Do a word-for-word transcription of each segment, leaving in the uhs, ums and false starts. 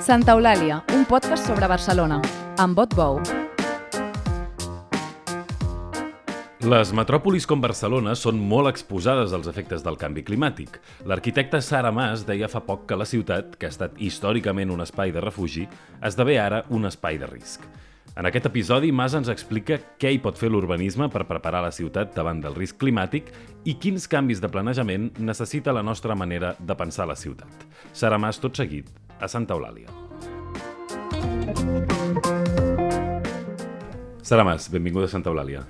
Santa Eulàlia, un podcast sobre Barcelona, amb Bot Bou. Les metròpolis com Barcelona són molt exposades als efectes del canvi climàtic. L'arquitecte Sara Mas deia fa poc que la ciutat, que ha estat històricament un espai de refugi, esdevé ara un espai de risc. En aquest episodi, Mas ens explica què hi pot fer l'urbanisme per preparar la ciutat davant del risc climàtic i quins canvis de planejament necessita la nostra manera de pensar la ciutat. Sara Mas, tot seguit, a Santa Eulàlia. Sara Mas, benvinguda a Santa Eulàlia.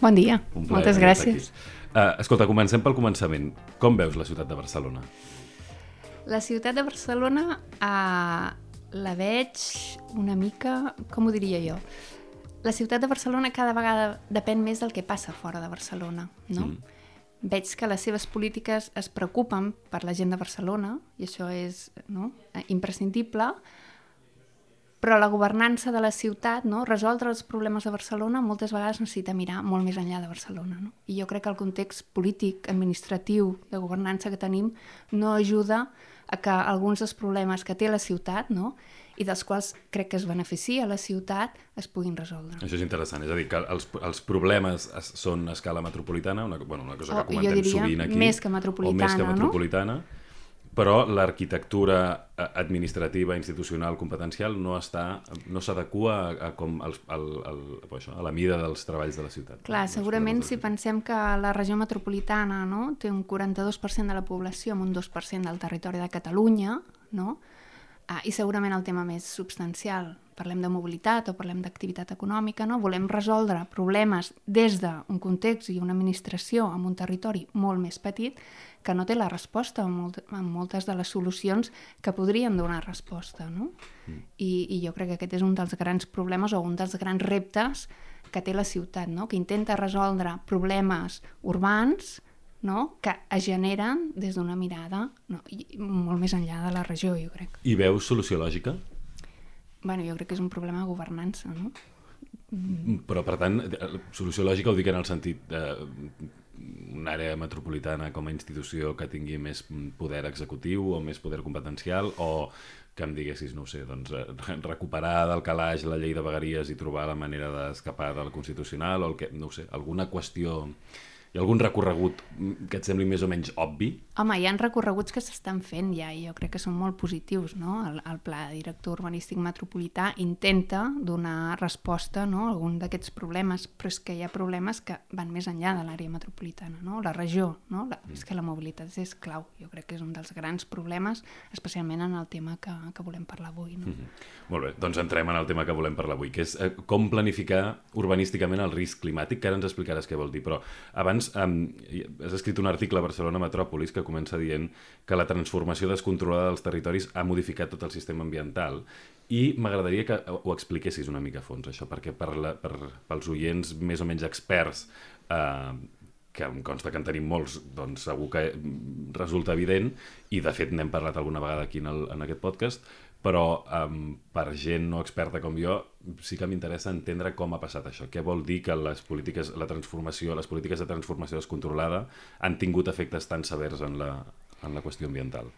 Bon dia, moltes gràcies. Uh, escolta, comencem pel començament. Com veus la ciutat de Barcelona? La ciutat de Barcelona uh, la veig una mica, com ho diria jo? La ciutat de Barcelona cada vegada depèn més del que passa fora de Barcelona, no? Mm. Veig que les seves polítiques es preocupen per la gent de Barcelona, i això és, no, imprescindible, però la governança de la ciutat, no, resoldre els problemes de Barcelona, moltes vegades necessita mirar molt més enllà de Barcelona. No? I jo crec que el context polític, administratiu, de governança que tenim no ajuda a que alguns dels problemes que té la ciutat, no, i dels quals crec que es beneficia la ciutat, es puguin resoldre. Això és interessant, és a dir, que els, els problemes es, són a escala metropolitana, una, bueno, una cosa o, que comentem sovint aquí, més que metropolitana, o més que metropolitana, no? Però l'arquitectura administrativa, institucional, competencial no està, no s'adequa a, a, com al, al, al, això, a la mida dels treballs de la ciutat. Clar, no? Segurament si pensem que la regió metropolitana, no, té un quaranta-dos per cent de la població amb un dos per cent del territori de Catalunya, no? Ah, i segurament el tema més substancial, parlem de mobilitat o parlem d'activitat econòmica, no? Volem resoldre problemes des d'un context i una administració amb un territori molt més petit que no té la resposta a, molt, a moltes de les solucions que podrien donar resposta, no? Mm. I, I jo crec que aquest és un dels grans problemes o un dels grans reptes que té la ciutat, no? Que intenta resoldre problemes urbans, no? Que es generen des d'una mirada, no? I molt més enllà de la regió, jo crec. I veus solució lògica? Bueno, jo crec que és un problema de governança, no? Mm. Però, per tant, solució lògica ho dic en el sentit de una àrea metropolitana com a institució que tingui més poder executiu o més poder competencial, o que em diguessis, no ho sé, doncs, recuperar del calaix la llei de vegueries i trobar la manera d'escapar del Constitucional, o el que, no ho sé, alguna qüestió... Hi ha algun recorregut que et sembli més o menys obvi? Home, hi ha recorreguts que s'estan fent ja i jo crec que són molt positius, no? El, el Pla Director Urbanístic Metropolità intenta donar resposta, no, a algun d'aquests problemes, però és que hi ha problemes que van més enllà de l'àrea metropolitana, no? La regió, no? La, mm. És que la mobilitat és clau, jo crec que és un dels grans problemes, especialment en el tema que, que volem parlar avui, no? Mm-hmm. Molt bé, doncs entrem en el tema que volem parlar avui, que és eh, com planificar urbanísticament el risc climàtic, que ara ens explicaràs què vol dir, però abans Um, has escrit un article a Barcelona Metròpolis que comença dient que la transformació descontrolada dels territoris ha modificat tot el sistema ambiental i m'agradaria que ho expliquessis una mica a fons, això, perquè per la, per, pels oients més o menys experts, eh, que em consta que en tenim molts, doncs segur que resulta evident, i de fet n'hem parlat alguna vegada aquí en, el, en aquest podcast, però um, per gent no experta com jo sí que m'interessa entendre com ha passat això. Què vol dir que les polítiques, la transformació, les polítiques de transformació descontrolada han tingut efectes tan severs en la, en la qüestió ambiental?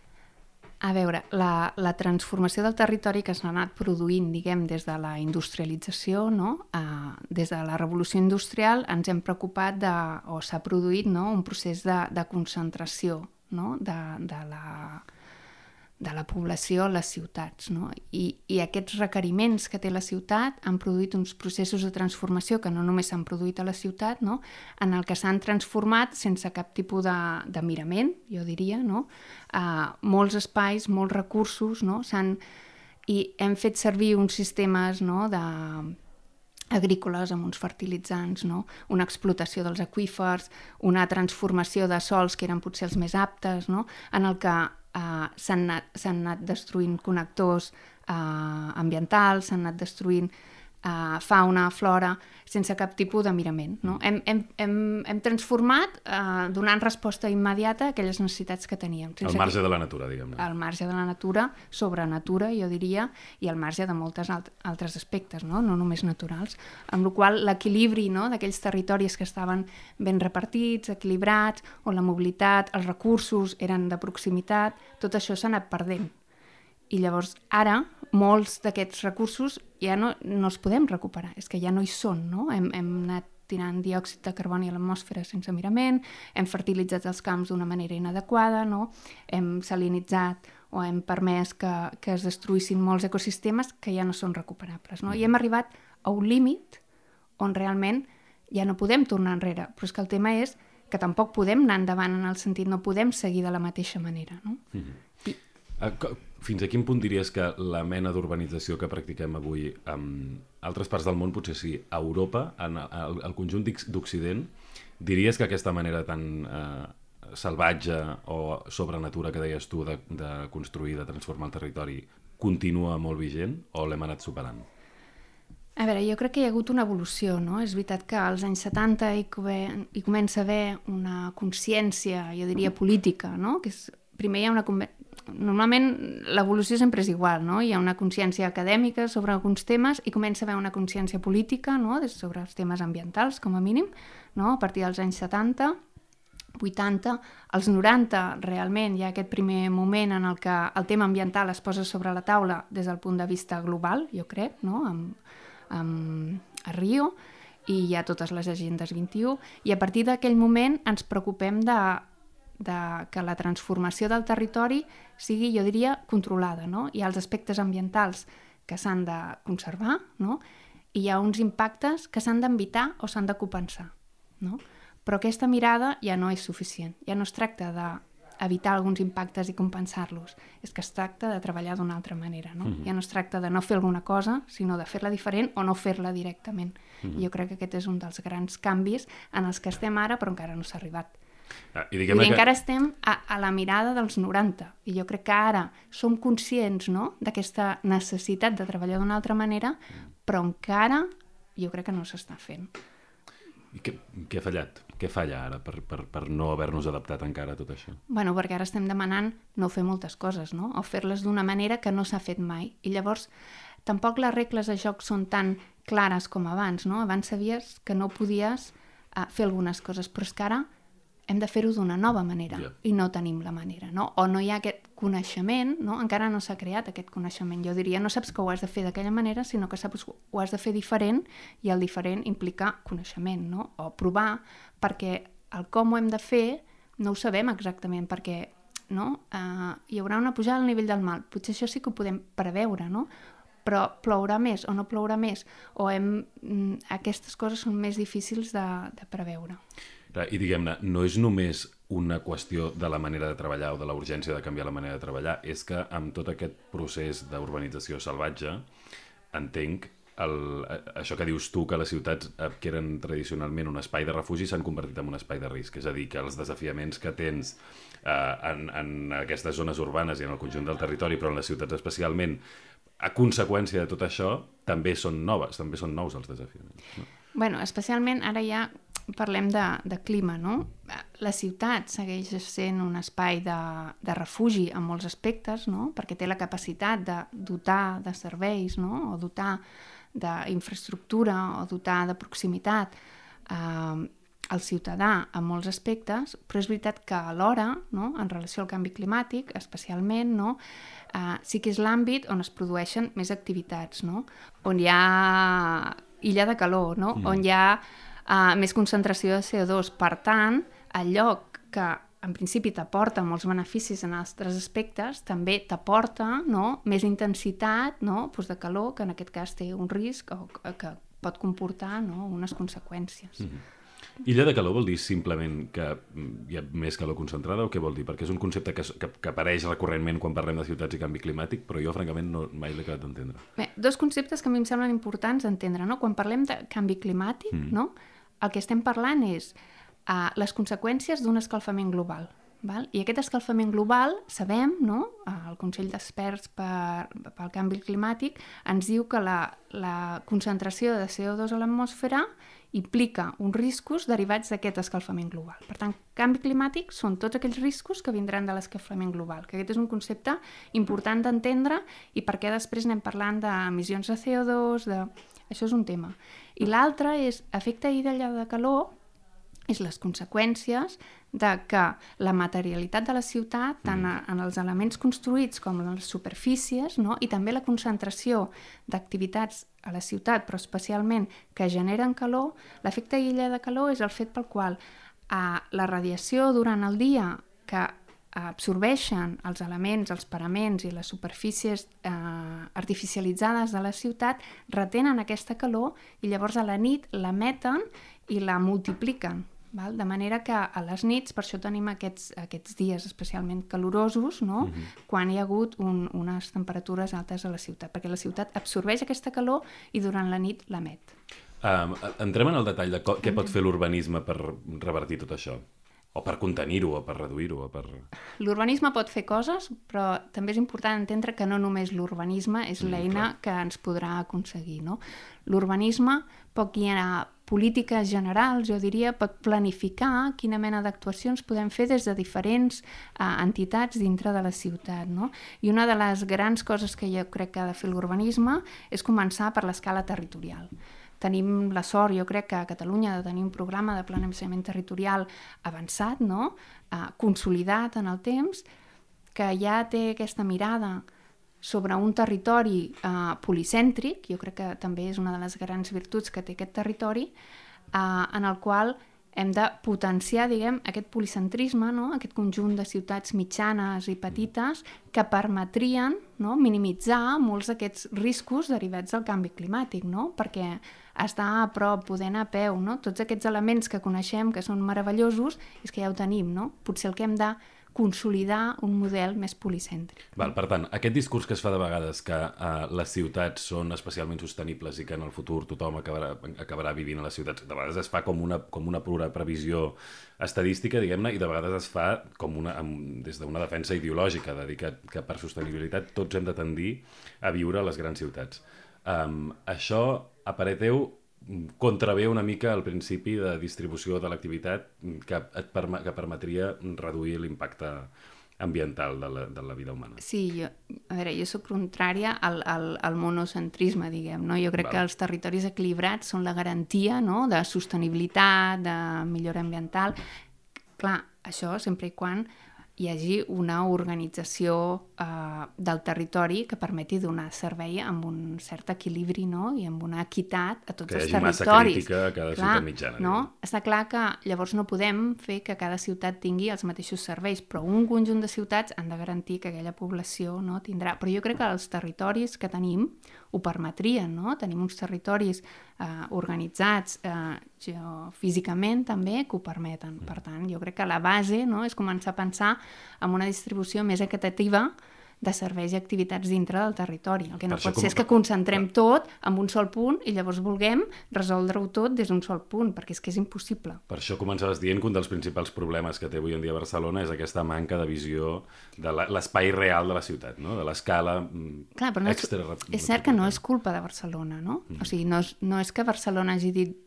A veure, la, la transformació del territori que s'ha anat produint, diguem, des de la industrialització, no? Uh, des de la revolució industrial ens hem preocupat de, o s'ha produït, no, un procés de, de concentració, no? de, de la... de la població a les ciutats, no? I, i aquests requeriments que té la ciutat han produït uns processos de transformació que no només s'han produït a la ciutat, no? En el que s'han transformat sense cap tipus de, de mirament, jo diria, no? Uh, molts espais, molts recursos, no? S'han, i hem fet servir uns sistemes, no? de agrícoles amb uns fertilitzants, no? Una explotació dels aqüífers, una transformació de sols que eren potser els més aptes, no? En el que Uh, s'han anat, s'han anat destruint connectors uh, ambientals, s'han anat destruint uh, fauna, flora, sense cap tipus de mirament. No? Hem, hem, hem, hem transformat uh, donant resposta immediata a aquelles necessitats que teníem. Al marge que... de la natura, diguem-ne. Al marge de la natura, sobre natura, jo diria, i al marge de moltes alt altres aspectes, no? No només naturals. Amb la qual l'equilibri, no? D'aquells territoris que estaven ben repartits, equilibrats, on la mobilitat, els recursos eren de proximitat, tot això s'ha anat perdent. I llavors ara molts d'aquests recursos ja no, no els podem recuperar, és que ja no hi són, no? Hem, hem anat tirant diòxid de carboni a l'atmosfera sense mirament, hem fertilitzat els camps d'una manera inadequada, no? Hem salinitzat o hem permès que, que es destruïssin molts ecosistemes que ja no són recuperables, no? I hem arribat a un límit on realment ja no podem tornar enrere, però és que el tema és que tampoc podem anar endavant en el sentit, no podem seguir de la mateixa manera, no? Mm-hmm. I... Fins a quin punt diries que la mena d'urbanització que practiquem avui en altres parts del món, potser sí, a Europa, en el, el conjunt d'Occident, diries que aquesta manera tan eh, salvatge o sobrenatura que deies tu de, de construir, de transformar el territori, continua molt vigent o l'hem anat superant? A veure, jo crec que hi ha hagut una evolució, no? És veritat que als anys setanta hi, hi comença a haver una consciència, jo diria política, no? Que és, primer hi ha una... Normalment l'evolució sempre és igual, no? Hi ha una consciència acadèmica sobre alguns temes i comença a haver una consciència política, no? Sobre els temes ambientals, com a mínim, no? A partir dels anys setanta, vuitanta, als noranta realment hi ha aquest primer moment en el que el tema ambiental es posa sobre la taula des del punt de vista global, jo crec, no? Amb, amb, a Rio, i hi ha totes les agendes vint-i-u, i a partir d'aquell moment ens preocupem de de que la transformació del territori sigui, jo diria, controlada, no? Hi ha els aspectes ambientals que s'han de conservar, no? I hi ha uns impactes que s'han d'evitar o s'han de compensar, no? Però aquesta mirada ja no és suficient. Ja no es tracta d'evitar alguns impactes i compensar-los, és que es tracta de treballar d'una altra manera, no? Mm-hmm. Ja no es tracta de no fer alguna cosa, sinó de fer-la diferent o no fer-la directament. Mm-hmm. I jo crec que aquest és un dels grans canvis en els que estem ara, però encara no s'ha arribat. Ah, i I que... encara estem a, a la mirada dels noranta, i jo crec que ara som conscients, no?, d'aquesta necessitat de treballar d'una altra manera, però encara jo crec que no s'està fent. I què, què ha fallat? Què falla ara per, per, per no haver-nos adaptat encara a tot això? Bueno, perquè ara estem demanant no fer moltes coses, no?, o fer-les d'una manera que no s'ha fet mai, i llavors tampoc les regles de joc són tan clares com abans, no? Abans sabies que no podies uh, fer algunes coses, però és que ara hem de fer-ho d'una nova manera, yeah. I no tenim la manera, no? O no hi ha aquest coneixement, no? Encara no s'ha creat aquest coneixement. Jo diria, no saps que ho has de fer d'aquella manera, sinó que saps que ho has de fer diferent, i el diferent implica coneixement, no? O provar, perquè el com ho hem de fer no ho sabem exactament, perquè no? Uh, hi haurà una pujada al nivell del mar. Potser això sí que ho podem preveure, no? Però plourà més o no plourà més, o hem, aquestes coses són més difícils de, de preveure. I diguem-ne, no és només una qüestió de la manera de treballar o de la urgència de canviar la manera de treballar, és que amb tot aquest procés d'urbanització salvatge, entenc el, això que dius tu, que les ciutats que eren tradicionalment un espai de refugi s'han convertit en un espai de risc, és a dir, que els desafiaments que tens eh, en, en aquestes zones urbanes i en el conjunt del territori, però en les ciutats especialment, a conseqüència de tot això, també són noves, també són nous els desafiaments, no? Bueno, especialment ara ja parlem de, de clima, no? La ciutat segueix sent un espai de, de refugi en molts aspectes, no? Perquè té la capacitat de dotar de serveis, no? O dotar d'infraestructura o dotar de proximitat eh, al ciutadà en molts aspectes, però és veritat que alhora, no? En relació al canvi climàtic, especialment, no? Eh, sí que és l'àmbit on es produeixen més activitats, no? On hi ha illa de calor, no? Mm. On hi ha uh, més concentració de C O dos. Per tant, el lloc que en principi t'aporta molts beneficis en altres aspectes, també t'aporta, no? Més intensitat, no? Pues de calor, que en aquest cas té un risc o que pot comportar, no? Unes conseqüències. Mm-hmm. Illa de calor vol dir simplement que hi ha més calor concentrada o què vol dir? Perquè és un concepte que, que, que apareix recurrentment quan parlem de ciutats i canvi climàtic, però jo francament no, mai l'he acabat d'entendre. Bé, dos conceptes que a mi em semblen importants d'entendre, no? Quan parlem de canvi climàtic, mm. no? El que estem parlant és uh, les conseqüències d'un escalfament global. Val? I aquest escalfament global, sabem, no? El Consell d'Experts per, pel Canvi Climàtic ens diu que la, la concentració de C O dos a l'atmosfera implica uns riscos derivats d'aquest escalfament global. Per tant, canvi climàtic són tots aquells riscos que vindran de l'escalfament global, que aquest és un concepte important d'entendre i perquè després anem parlant d'emissions de C O dos, de... això és un tema. I l'altre és efecte illa de calor, és les conseqüències de que la materialitat de la ciutat, tant en els elements construïts com en les superfícies, no? I també la concentració d'activitats a la ciutat, però especialment que generen calor, l'efecte illa de calor és el fet pel qual eh, la radiació durant el dia que absorbeixen els elements, els paraments i les superfícies eh, artificialitzades de la ciutat, retenen aquesta calor i llavors a la nit l'emeten i la multipliquen. Val? De manera que a les nits, per això tenim aquests, aquests dies especialment calorosos, no? Uh-huh. Quan hi ha hagut un, unes temperatures altes a la ciutat, perquè la ciutat absorbeix aquesta calor i durant la nit l'emet. Um, entrem en el detall de co- què pot fer l'urbanisme per revertir tot això. O per contenir-ho, o per reduir-ho, o per... L'urbanisme pot fer coses, però també és important entendre que no només l'urbanisme és l'eina mm, que ens podrà aconseguir, no? L'urbanisme pot guiar polítiques generals, jo diria, pot planificar quina mena d'actuacions podem fer des de diferents eh, entitats dintre de la ciutat, no? I una de les grans coses que jo crec que ha de fer l'urbanisme és començar per l'escala territorial. Tenim la sort, jo crec que a Catalunya, de tenir un programa de planejament territorial avançat, no? eh, consolidat en el temps, que ja té aquesta mirada sobre un territori eh, policèntric, jo crec que també és una de les grans virtuts que té aquest territori, eh, en el qual hem de potenciar, diguem, aquest policentrisme, no? Aquest conjunt de ciutats mitjanes i petites que permetrien, no? Minimitzar molts d'aquests riscos derivats del canvi climàtic, no? Perquè estar a prop, poder anar a peu, no? Tots aquests elements que coneixem, que són meravellosos, és que ja ho tenim, no? Potser el que hem de consolidar un model més policèntric. Val, per tant, aquest discurs que es fa de vegades que uh, les ciutats són especialment sostenibles i que en el futur tothom acabarà, acabarà vivint a les ciutats, de vegades es fa com una, com una pura previsió estadística, diguem-ne, i de vegades es fa com una, amb, des d'una defensa ideològica, de dir que, que per sostenibilitat tots hem de tendir a viure a les grans ciutats. Um, això, a parer teu, contravé una mica al principi de distribució de l'activitat que, et perma, que permetria reduir l'impacte ambiental de la, de la vida humana. Sí, jo, a veure, jo soc contrària al, al, al monocentrisme, diguem, no? Jo crec Val. que els territoris equilibrats són la garantia, no?, de sostenibilitat, de millora ambiental. Clar, això sempre i quan hi hagi una organització eh, del territori que permeti donar servei amb un cert equilibri, no? I amb una equitat a tots que els Que territoris. hi hagi massa crítica a cada clar, ciutat mitjana. No? Està clar que llavors no podem fer que cada ciutat tingui els mateixos serveis, però un conjunt de ciutats han de garantir que aquella població, no, tindrà... Però jo crec que els territoris que tenim ho permetrien, no? Tenim uns territoris eh, organitzats eh, geofísicament també que ho permeten. Per tant, jo crec que la base, no, és començar a pensar en una distribució més equitativa de serveis i activitats dintre del territori. El que no pot ser és que concentrem tot en un sol punt i llavors vulguem resoldre-ho tot des d'un sol punt, perquè és que és impossible. Per això començaves dient que un dels principals problemes que té avui en dia Barcelona és aquesta manca de visió de l'espai real de la ciutat, no? De l'escala Clar, però no és, extra... És cert que no és culpa de Barcelona, no? Mm. O sigui, no és, no és que Barcelona hagi dit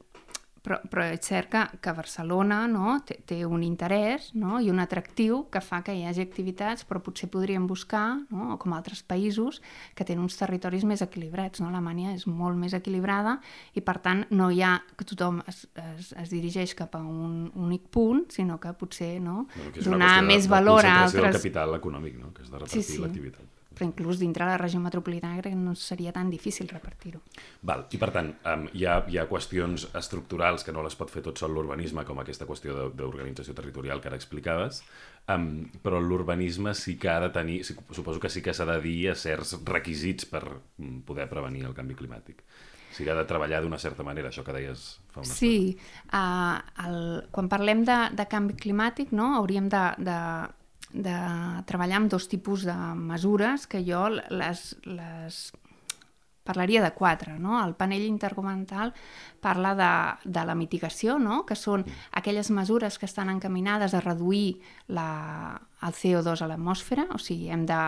Però, però és cert que, que Barcelona, no, té, té un interès, no, i un atractiu que fa que hi hagi activitats, però potser podríem buscar, no, com altres països, que tenen uns territoris més equilibrats. No? Alemanya és molt més equilibrada i, per tant, no hi ha que tothom es, es, es dirigeix cap a un únic punt, sinó que potser no, bueno, que donar més de, valor a altres... De concentració del capital econòmic, no? Que és de repartir sí, sí. l'activitat. Però inclús dintre la regió metropolitana crec que no seria tan difícil repartir-ho. Val, i per tant, um, hi, ha, hi ha qüestions estructurals que no les pot fer tot sol l'urbanisme, com aquesta qüestió d'organització territorial que ara explicaves, um, però l'urbanisme sí que ha de tenir, suposo que sí que s'ha de dir a certs requisits per poder prevenir el canvi climàtic. O sigui, ha de treballar d'una certa manera, això que deies fa una estona. Sí, uh, el, quan parlem de, de canvi climàtic, no, hauríem de... de de treballar amb dos tipus de mesures que jo les, les parlaria de quatre. No? El panell intergovernamental parla de, de la mitigació, no? Que són aquelles mesures que estan encaminades a reduir la, el C O dos a l'atmosfera, o sigui, hem de,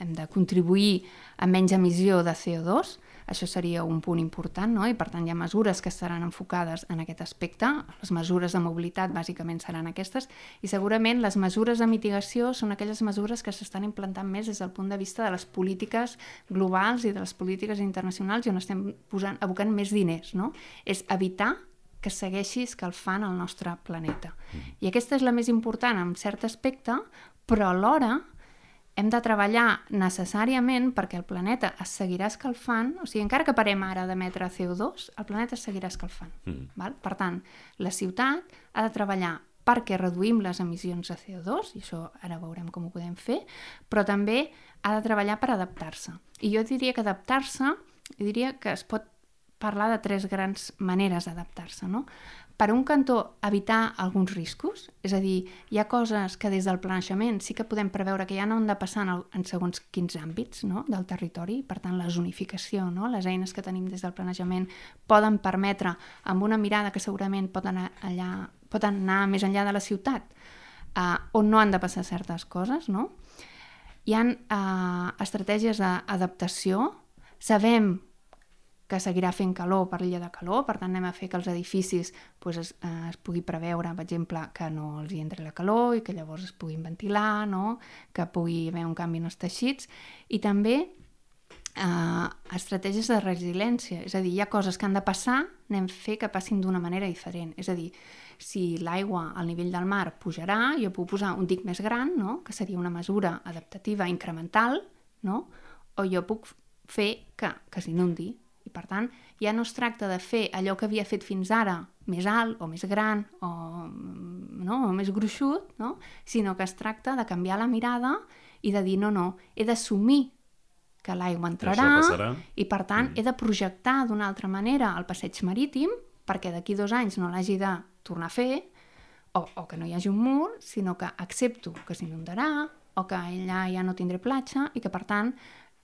hem de contribuir a menys emissió de C O dos, això seria un punt important, no? I per tant hi ha mesures que estaran enfocades en aquest aspecte, les mesures de mobilitat bàsicament seran aquestes, i segurament les mesures de mitigació són aquelles mesures que s'estan implantant més des del punt de vista de les polítiques globals i de les polítiques internacionals i on estem posant, abocant més diners, no? És evitar que segueixi escalfant el nostre planeta. I aquesta és la més important en cert aspecte, però alhora hem de treballar necessàriament perquè el planeta es seguirà escalfant, o sigui, encara que parem ara d'emetre C O dos, el planeta es seguirà escalfant. Mm. Val? Per tant, la ciutat ha de treballar perquè reduïm les emissions de C O dos, i això ara veurem com ho podem fer, però també ha de treballar per adaptar-se. I jo diria que adaptar-se, jo diria que es pot parlar de tres grans maneres d'adaptar-se, no? Per un cantó, evitar alguns riscos, és a dir, hi ha coses que des del planejament sí que podem preveure que ja no han de passar en, el, en segons quins àmbits, no?, del territori, per tant, la zonificació, no?, les eines que tenim des del planejament poden permetre, amb una mirada que segurament pot anar, allà, pot anar més enllà de la ciutat, eh, on no han de passar certes coses, no? Hi ha eh, estratègies d'adaptació, sabem que seguirà fent calor per l'illa de calor, per tant anem a fer que els edificis pues, es, eh, es pugui preveure, per exemple, que no els hi entri la calor i que llavors es puguin ventilar, no? Que pugui haver un canvi en els teixits, i també eh, estratègies de resiliència, és a dir, hi ha coses que han de passar, anem a fer que passin d'una manera diferent, és a dir, si l'aigua al nivell del mar pujarà, jo puc posar un dic més gran, no? Que seria una mesura adaptativa incremental, no? O jo puc fer que, que s'inundi. I per tant, ja no es tracta de fer allò que havia fet fins ara més alt o més gran o, no, o més gruixut, no? Sinó que es tracta de canviar la mirada i de dir no, no, he d'assumir que l'aigua entrarà i per tant mm. he de projectar d'una altra manera el passeig marítim perquè d'aquí dos anys no l'hagi de tornar a fer o, o que no hi hagi un mur, sinó que accepto que s'inundarà o que allà ja no tindré platja i que per tant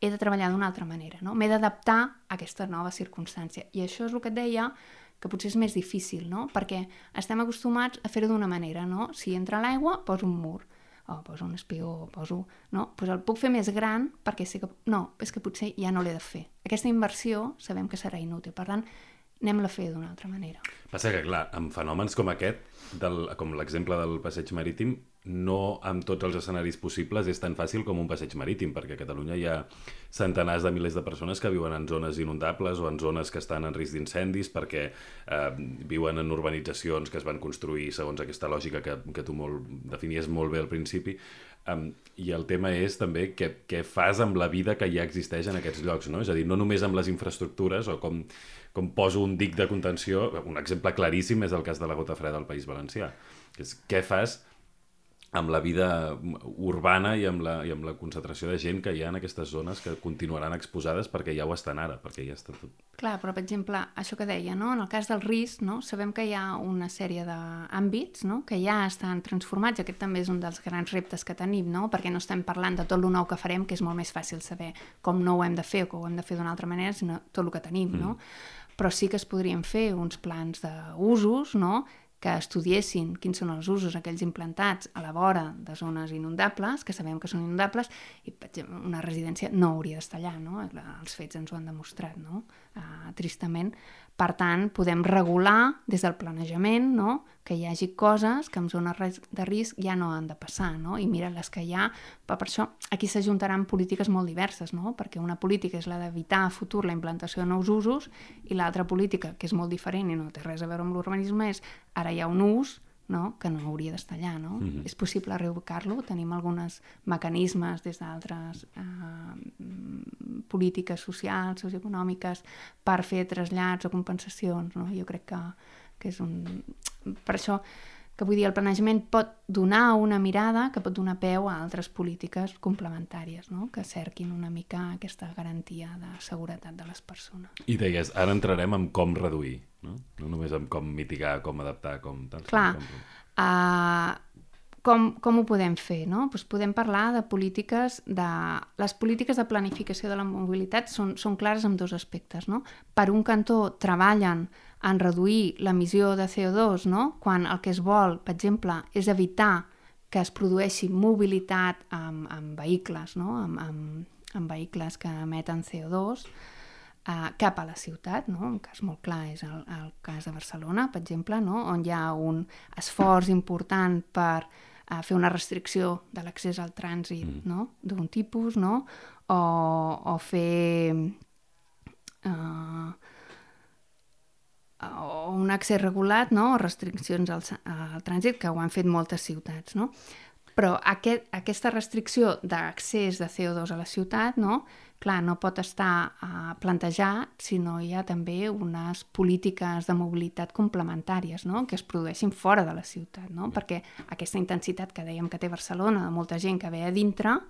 he de treballar d'una altra manera, no? M'he d'adaptar a aquesta nova circumstància. I això és el que et deia, que potser és més difícil, no? Perquè estem acostumats a fer-ho d'una manera, no? Si entra l'aigua, poso un mur, o poso un espió, poso... No? Pues el puc fer més gran perquè sé que... No, és que potser ja no l'he de fer. Aquesta inversió sabem que serà inútil. Per tant, anem-la a fer d'una altra manera. Passa que, clar, amb fenòmens com aquest, del, com l'exemple del passeig marítim, no amb tots els escenaris possibles és tan fàcil com un passeig marítim, perquè a Catalunya hi ha centenars de milers de persones que viuen en zones inundables o en zones que estan en risc d'incendis perquè eh, viuen en urbanitzacions que es van construir segons aquesta lògica que, que tu molt, definies molt bé al principi. Um, I el tema és també què, què fas amb la vida que ja existeix en aquests llocs, no? És a dir, no només amb les infraestructures o com, com poso un dic de contenció, un exemple claríssim és el cas de la Gota Freda al País Valencià. És què fas amb la vida urbana i amb la, i amb la concentració de gent que hi ha en aquestes zones que continuaran exposades perquè ja ho estan ara, perquè ja està tot... Clar, però per exemple, això que deia, no? En el cas del risc, no? Sabem que hi ha una sèrie d'àmbits, no? Que ja estan transformats, aquest també és un dels grans reptes que tenim, no? Perquè no estem parlant de tot el nou que farem, que és molt més fàcil saber com no ho hem de fer o que ho hem de fer d'una altra manera, sinó tot el que tenim, no? Mm. Però sí que es podrien fer uns plans d'usos, no? Que estudiessin quins són els usos aquells implantats a la vora de zones inundables, que sabem que són inundables, i per exemple, una residència no hauria d'estar allà, no? Els fets ens ho han demostrat, no? Uh, tristament. Per tant, podem regular des del planejament, no? Que hi hagi coses que en zones de risc ja no han de passar, no? I mira les que hi ha, però per això aquí s'ajuntaran polítiques molt diverses, no? Perquè una política és la d'evitar a futur la implantació de nous usos i l'altra política, que és molt diferent i no té res a veure amb l'urbanisme, és ara hi ha un ús, no? Que no hauria d'estar allà, no? Mm-hmm. És possible reubicar-lo, tenim alguns mecanismes des d'altres eh, polítiques socials, socioeconòmiques, per fer trasllats o compensacions, no? Jo crec que, que és un... Per això que vull dir, el planejament pot donar una mirada que pot donar peu a altres polítiques complementàries, no? Que cerquin una mica aquesta garantia de seguretat de les persones. I deies, ara entrarem en com reduir, no? No només en com mitigar, com adaptar, com... Tal, Clar, com... Uh, com, com ho podem fer, no? Pues podem parlar de polítiques de... Les polítiques de planificació de la mobilitat són, són clares en dos aspectes, no? Per un cantó treballen en reduir l'emissió de C O dos, no? Quan el que es vol, per exemple, és evitar que es produeixi mobilitat amb, amb vehicles, no? amb, amb, amb vehicles que emeten C O dos eh, cap a la ciutat, no? Un cas molt clar és el, el cas de Barcelona, per exemple, no? On hi ha un esforç important per eh, fer una restricció de l'accés al trànsit, mm. no? D'un tipus, no? O, o fer... Eh, o un accés regulat, no? O restriccions al, al trànsit, que ho han fet moltes ciutats, no? Però aquest, aquesta restricció d'accés de C O dos a la ciutat, no? Clar, no pot estar uh, plantejat si no hi ha també unes polítiques de mobilitat complementàries, no? Que es produeixin fora de la ciutat, no? Perquè aquesta intensitat que dèiem que té Barcelona, de molta gent que ve a dintre,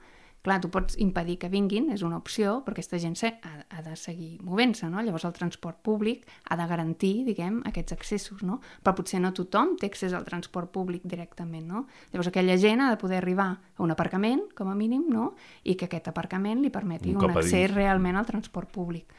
clar, tu pots impedir que vinguin, és una opció, però aquesta gent ha, ha de seguir movent-se, no? Llavors el transport públic ha de garantir, diguem, aquests accessos, no? Però potser no tothom té accés al transport públic directament, no? Llavors aquella gent ha de poder arribar a un aparcament, com a mínim, no? I que aquest aparcament li permeti un, un accés realment al transport públic.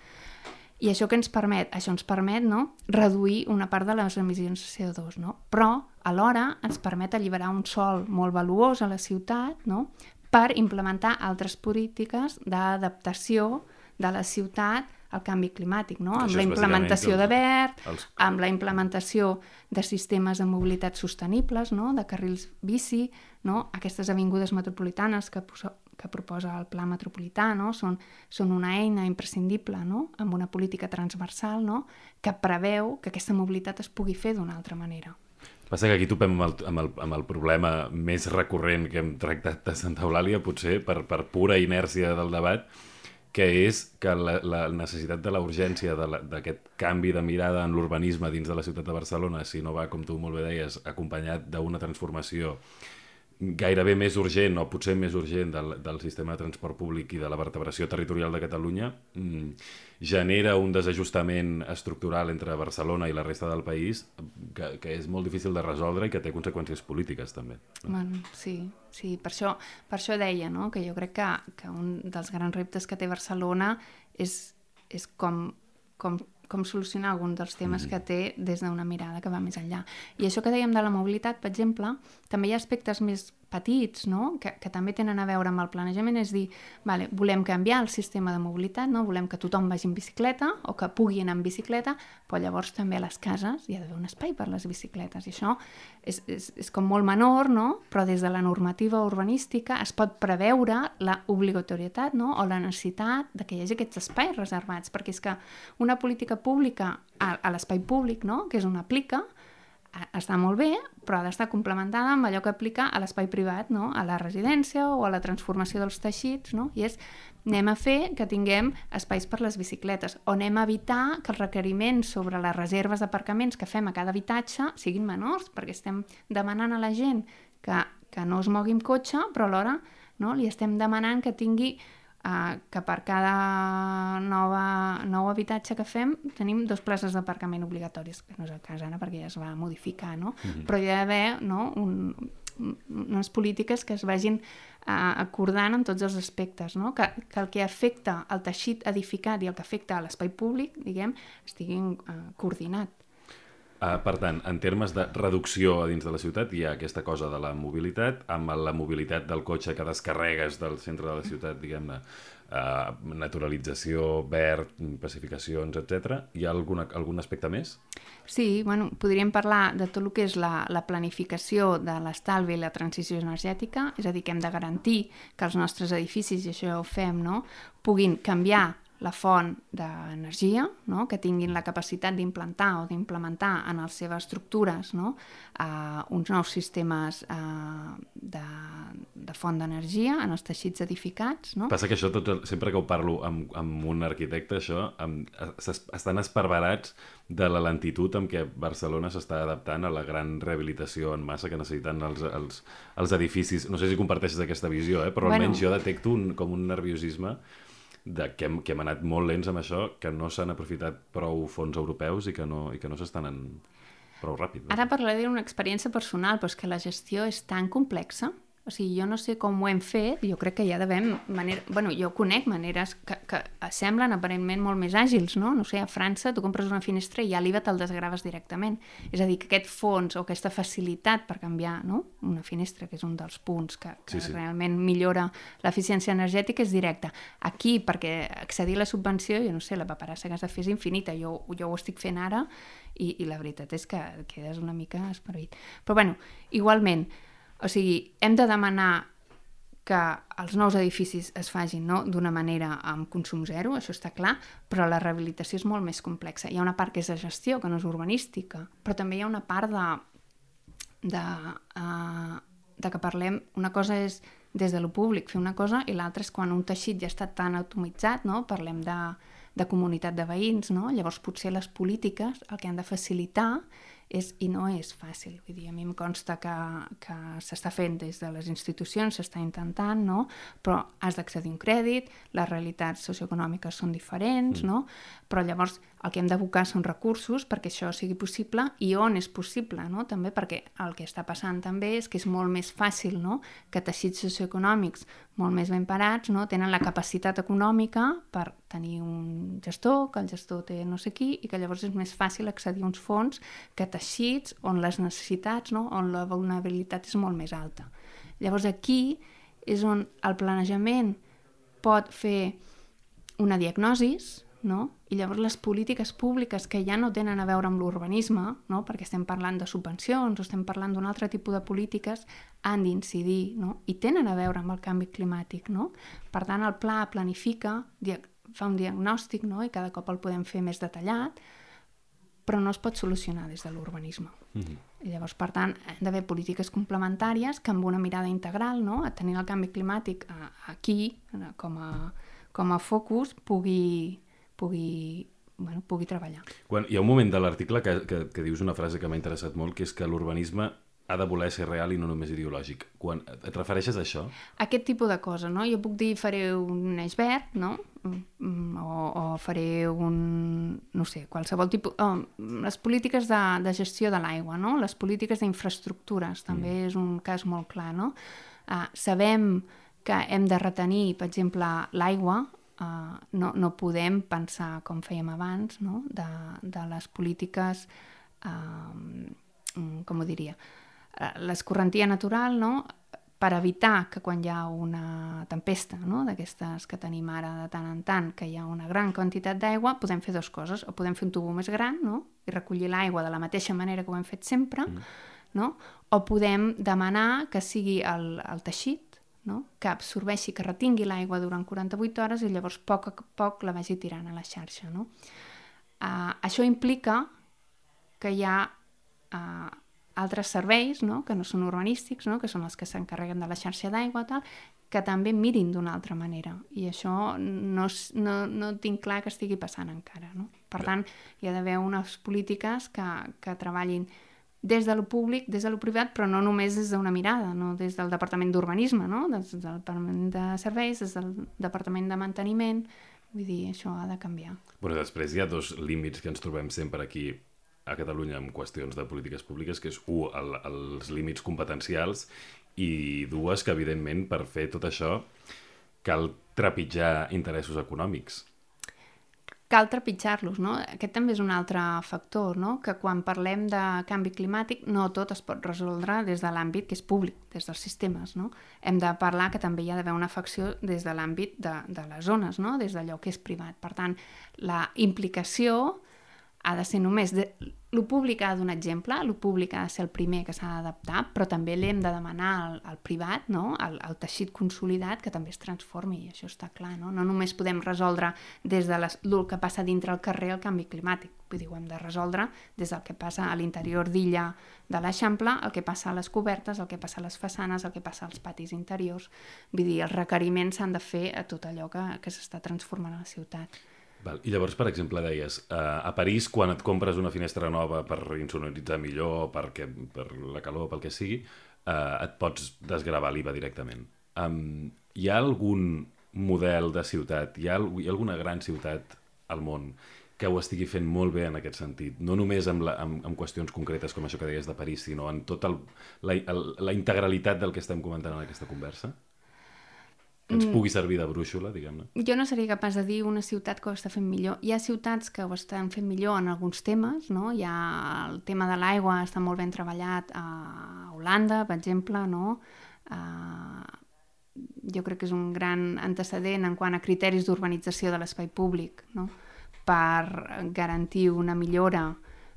I això què ens permet? Això ens permet, no?, reduir una part de les emissions de C O dos, no? Però alhora ens permet alliberar un sòl molt valuós a la ciutat, no?, per implementar altres polítiques d'adaptació de la ciutat al canvi climàtic, no? Amb la implementació de verd, els... amb la implementació de sistemes de mobilitat sostenibles, no? De carrils bici, no? Aquestes avingudes metropolitanes que, que proposa el Pla Metropolità, no? Són, són una eina imprescindible, no? Amb una política transversal, no? Que preveu que aquesta mobilitat es pugui fer d'una altra manera. Passa que aquí topem amb el, amb, el, amb el problema més recurrent que hem tractat de Santa Eulàlia, potser per, per pura inèrcia del debat, que és que la, la necessitat de la urgència d'aquest canvi de mirada en l'urbanisme dins de la ciutat de Barcelona, si no va, com tu molt bé deies, acompanyat d'una transformació gairebé més urgent, o potser més urgent, del, del sistema de transport públic i de la vertebració territorial de Catalunya, mmm, genera un desajustament estructural entre Barcelona i la resta del país que, que és molt difícil de resoldre i que té conseqüències polítiques, també. Bueno, sí, sí, per això, per això deia, no?, que jo crec que, que un dels grans reptes que té Barcelona és, és com, com, com solucionar algun dels temes mm. que té des d'una mirada que va més enllà. I això que dèiem de la mobilitat, per exemple, també hi ha aspectes més petits, no?, que, que també tenen a veure amb el planejament, és dir, vale, volem canviar el sistema de mobilitat, no? Volem que tothom vagi en bicicleta o que pugui anar en bicicleta, però llavors també a les cases hi ha d'haver un espai per les bicicletes, i això és, és, és com molt menor, no?, però des de la normativa urbanística es pot preveure la obligatorietat, no?, o la necessitat de que hi hagi aquests espais reservats, perquè és que una política pública a, a l'espai públic, no?, que és on aplica, està molt bé, però ha d'estar complementada amb allò que aplica a l'espai privat, no?, a la residència o a la transformació dels teixits, no?, i és, anem a fer que tinguem espais per les bicicletes, o anem a evitar que els requeriments sobre les reserves d'aparcaments que fem a cada habitatge siguin menors, perquè estem demanant a la gent que, que no es mogui amb cotxe, però alhora, no?, li estem demanant que tingui Uh, que per cada nova, nou habitatge que fem tenim dos places d'aparcament obligatoris, que no és el cas ara perquè ja es va modificar, no? Mm-hmm. Però hi ha d'haver, no, un, unes polítiques que es vagin uh, acordant en tots els aspectes, no? Que, que el que afecta al teixit edificat i el que afecta a l'espai públic, diguem, estiguin uh, coordinat. Uh, per tant, en termes de reducció a dins de la ciutat hi ha aquesta cosa de la mobilitat, amb la mobilitat del cotxe que descarregues del centre de la ciutat, diguem-ne, uh, naturalització, verd, pacificacions, etcètera. Hi ha alguna, algun aspecte més? Sí, bueno, podríem parlar de tot el que és la, la planificació de l'estalvi i la transició energètica, és a dir, que hem de garantir que els nostres edificis, i això ja ho fem, no?, puguin canviar la font d'energia, no?, que tinguin la capacitat d'implantar o d'implementar en les seves estructures, no?, uh, uns nous sistemes uh, de, de font d'energia en els teixits edificats. No? Passa que això, tot, sempre que ho parlo amb, amb un arquitecte, això amb, estan esparverats de la lentitud amb què Barcelona s'està adaptant a la gran rehabilitació en massa que necessiten els, els, els edificis. No sé si comparteixes aquesta visió, eh? Però almenys bueno, jo detecto un, com un nerviosisme de que hem, que hem anat molt lents amb això, que no s'han aprofitat prou fons europeus i que no, i que no s'estan en prou ràpid. Ara parlaré d'una experiència personal, però és que la gestió és tan complexa. O sigui, jo no sé com ho hem fet, jo crec que hi ha d'haver manera... Bueno, jo conec maneres que, que semblen aparentment molt més àgils, no? No sé, a França tu compres una finestra i ja l'I V A te'l desgraves directament. És a dir, que aquest fons o aquesta facilitat per canviar, no?, una finestra, que és un dels punts que, que sí, sí. realment millora l'eficiència energètica, és directa. Aquí, perquè accedir a la subvenció, jo no sé, la paperassa que has de fer és infinita. Jo, jo ho estic fent ara i, i la veritat és que quedes una mica esperit. Però, bueno, igualment, o sigui, hem de demanar que els nous edificis es facin, no?, d'una manera amb consum zero, això està clar, però la rehabilitació és molt més complexa. Hi ha una part que és de gestió, que no és urbanística, però també hi ha una part de, de, uh, de que parlem, una cosa és des de lo públic fer una cosa i l'altra és quan un teixit ja està tan atomitzat, no?, parlem de, de comunitat de veïns, no?, llavors potser les polítiques el que han de facilitar és, i no és fàcil, vull dir, a mi em consta que, que s'està fent des de les institucions, s'està intentant, no?, però has d'accedir a un crèdit, les realitats socioeconòmiques són diferents, mm. no?, però llavors el que hem d'abocar són recursos perquè això sigui possible i on és possible, no?, també perquè el que està passant també és que és molt més fàcil, no?, que teixits socioeconòmics molt més ben parats, no?, tenen la capacitat econòmica per tenir un gestor, que el gestor té no sé qui, i que llavors és més fàcil accedir a uns fons que teixits on les necessitats, no?, on la vulnerabilitat és molt més alta. Llavors aquí és on el planejament pot fer una diagnosi, no?, i llavors les polítiques públiques que ja no tenen a veure amb l'urbanisme, no?, perquè estem parlant de subvencions o estem parlant d'un altre tipus de polítiques, han d'incidir, no?, i tenen a veure amb el canvi climàtic, no? Per tant, el pla planifica, fa un diagnòstic, no?, i cada cop el podem fer més detallat, però no es pot solucionar des de l'urbanisme. Mm-hmm. I llavors, per tant, han d'haver polítiques complementàries que amb una mirada integral, no?, a tenir el canvi climàtic aquí, com a, com a focus, pugui... pugui, bueno, pugui treballar. Quan hi ha un moment de l'article que, que, que dius una frase que m'ha interessat molt, que és que l'urbanisme ha de voler ser real i no només ideològic. Quan et refereixes a això? Aquest tipus de cosa, no? Jo puc dir faré un iceberg, no? O, o faré un... no sé, qualsevol tipus... Oh, les polítiques de, de gestió de l'aigua, no? Les polítiques d'infraestructures, també mm. és un cas molt clar, no? Uh, sabem que hem de retenir, per exemple, l'aigua. Uh, no, no podem pensar, com fèiem abans, no?, de, de les polítiques, uh, com ho diria, uh, l'escorrentia natural, no?, per evitar que quan hi ha una tempesta, no?, d'aquestes que tenim ara de tant en tant, que hi ha una gran quantitat d'aigua, podem fer dues coses, o podem fer un tubo més gran, no?, i recollir l'aigua de la mateixa manera que ho hem fet sempre, mm. no?, o podem demanar que sigui el, el teixit, no?, que absorbeixi, que retingui l'aigua durant quaranta-vuit hores i llavors a poc a poc la vagi tirant a la xarxa, no? Uh, això implica que hi ha uh, altres serveis, no?, que no són urbanístics, no?, que són els que s'encarreguen de la xarxa d'aigua, tal, que també mirin d'una altra manera. I això no, no, no tinc clar que estigui passant encara, no? Per tant, hi ha d'haver unes polítiques que, que treballin des de lo públic, des de lo privat, però no només des d'una mirada, no des del Departament d'Urbanisme, no? Des del Departament de Serveis, des del Departament de Manteniment, vull dir, això ha de canviar. Bueno, després hi ha dos límits que ens trobem sempre aquí a Catalunya en qüestions de polítiques públiques, que és, un, el, els límits competencials i dues, que evidentment per fer tot això cal trepitjar interessos econòmics. Cal trepitjar-los, no? Aquest també és un altre factor, no?, que quan parlem de canvi climàtic no tot es pot resoldre des de l'àmbit que és públic, des dels sistemes, no? Hem de parlar que també hi ha d'haver una afecció des de l'àmbit de, de les zones, no?, des d'allò que és privat. Per tant, la implicació ha de ser només... De... Lo públic ha de donar exemple, lo públic ha de ser el primer que s'ha d'adaptar, però també l'hem de demanar al, al privat, no?, al, al teixit consolidat, que també es transformi, i això està clar, no? No només podem resoldre des de les, el que passa dintre el carrer el canvi climàtic, vull dir, ho hem de resoldre des del que passa a l'interior d'illa de l'Eixample, el que passa a les cobertes, el que passa a les façanes, el que passa als patis interiors, vull dir, els requeriments s'han de fer a tot allò que, que s'està transformant a la ciutat. Val. I llavors, per exemple, deies, eh, a París, quan et compres una finestra nova per insonoritzar millor, perquè, per la calor, pel que sigui, eh, et pots desgravar l'I V A directament. Um, hi ha algun model de ciutat, hi ha, hi ha alguna gran ciutat al món que ho estigui fent molt bé en aquest sentit? No només amb, la, amb, amb qüestions concretes com això que deies de París, sinó en tota la, el, la integralitat del que estem comentant en aquesta conversa? Que ens pugui servir de brúixola, diguem-ne. Jo no seria capaç de dir una ciutat que ho està fent millor. Hi ha ciutats que ho estan fent millor en alguns temes, no? Hi ha el tema de l'aigua, està molt ben treballat a Holanda, per exemple, no? Uh, jo crec que és un gran antecedent en quant a criteris d'urbanització de l'espai públic, no?, per garantir una millora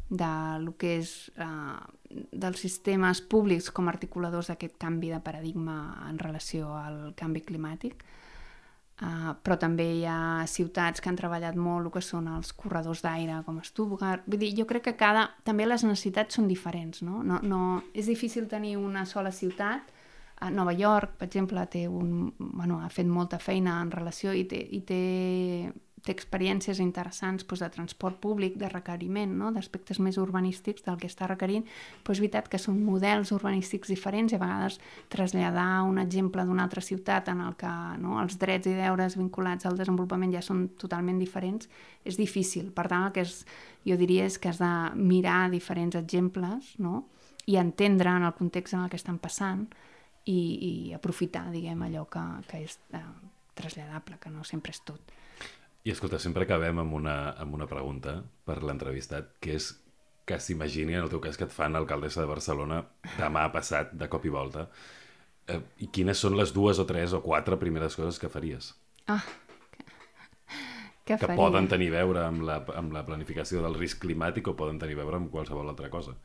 de lo que és eh, dels sistemes públics com a articuladors d'aquest canvi de paradigma en relació al canvi climàtic. Uh, però també hi ha ciutats que han treballat molt el que són els corredors d'aire com Stuttgart. Vull dir, jo crec que cada... també les necessitats són diferents, no? No, no... És difícil tenir una sola ciutat. A Nova York, per exemple, té un... bueno, ha fet molta feina en relació i té, i té, té experiències interessants doncs, de transport públic, de requeriment, no? D'aspectes més urbanístics del que està requerint. Però és veritat que són models urbanístics diferents i a vegades traslladar un exemple d'una altra ciutat en el que no, els drets i deures vinculats al desenvolupament ja són totalment diferents és difícil. Per tant, el que és, jo diria és que has de mirar diferents exemples, no? I entendre en el context en el que estan passant i, i aprofitar, diguem, allò que, que és eh, traslladable, que no sempre és tot. I escolta, sempre acabem amb una, amb una pregunta per l'entrevistat, que és que s'imagini, en el teu cas, que et fan alcaldessa de Barcelona demà passat, de cop i volta. Eh, I quines són les dues o tres o quatre primeres coses que faries? Ah, que, que, que faria? poden tenir a veure amb la, amb la planificació del risc climàtic o poden tenir a veure amb qualsevol altra cosa.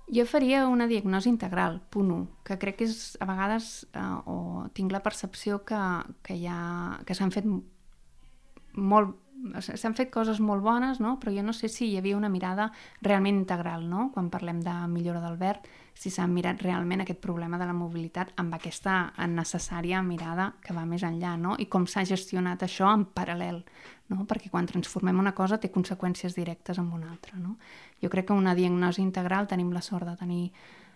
Jo faria una diagnosi integral, punt u, que crec que és, a vegades, eh, o tinc la percepció que, que, hi ha, que s'han fet molt, s'han fet coses molt bones, no? Però jo no sé si hi havia una mirada realment integral, no? Quan parlem de millora del verd, si s'ha mirat realment aquest problema de la mobilitat amb aquesta necessària mirada que va més enllà, no? I com s'ha gestionat això en paral·lel, no? Perquè quan transformem una cosa té conseqüències directes amb una altra, no? Jo crec que una diagnosi integral, tenim la sort de tenir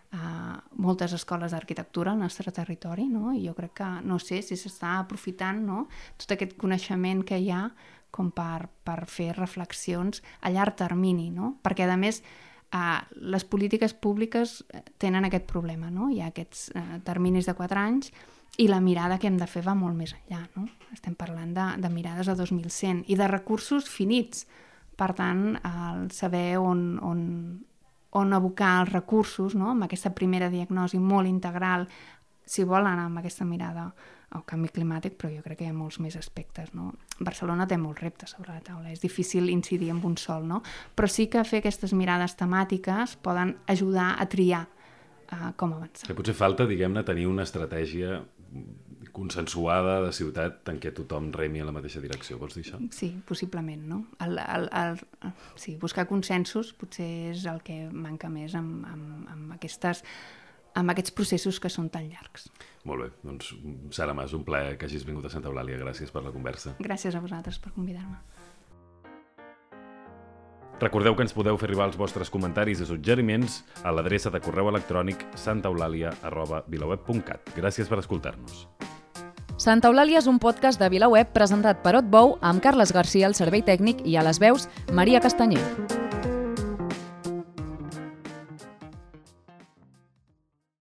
Uh, moltes escoles d'arquitectura al nostre territori, no? I jo crec que, no sé, si s'està aprofitant, no? Tot aquest coneixement que hi ha com per, per fer reflexions a llarg termini, no? Perquè, a més, uh, les polítiques públiques tenen aquest problema, no? Hi ha aquests uh, terminis de quatre anys i la mirada que hem de fer va molt més enllà, no? Estem parlant de, de mirades a dos mil cent i de recursos finits. Per tant, el saber on... on on abocar els recursos, no? Amb aquesta primera diagnosi molt integral, si vol anar amb aquesta mirada al canvi climàtic, però jo crec que hi ha molts més aspectes, no? Barcelona té molts reptes sobre la taula, és difícil incidir en un sol, no? Però sí que fer aquestes mirades temàtiques poden ajudar a triar uh, com avançar. Que potser falta, diguem-ne, tenir una estratègia consensuada de ciutat en què tothom remi en la mateixa direcció, vols dir això? Sí, possiblement, no? El, el, el, sí, buscar consensos potser és el que manca més amb, amb, amb, aquestes, amb aquests processos que són tan llargs. Molt bé, doncs Sara Mas, un plaer que hagis vingut a Santa Eulàlia, gràcies per la conversa. Gràcies a vosaltres per convidar-me. Recordeu que ens podeu fer arribar els vostres comentaris i suggeriments a l'adreça de correu electrònic santaeulàlia arroba vilaweb punt cat. Gràcies per escoltar-nos. Santa Eulàlia és un podcast de VilaWeb presentat per Otbou amb Carles Garcia al servei tècnic i a les veus Maria Castanyer.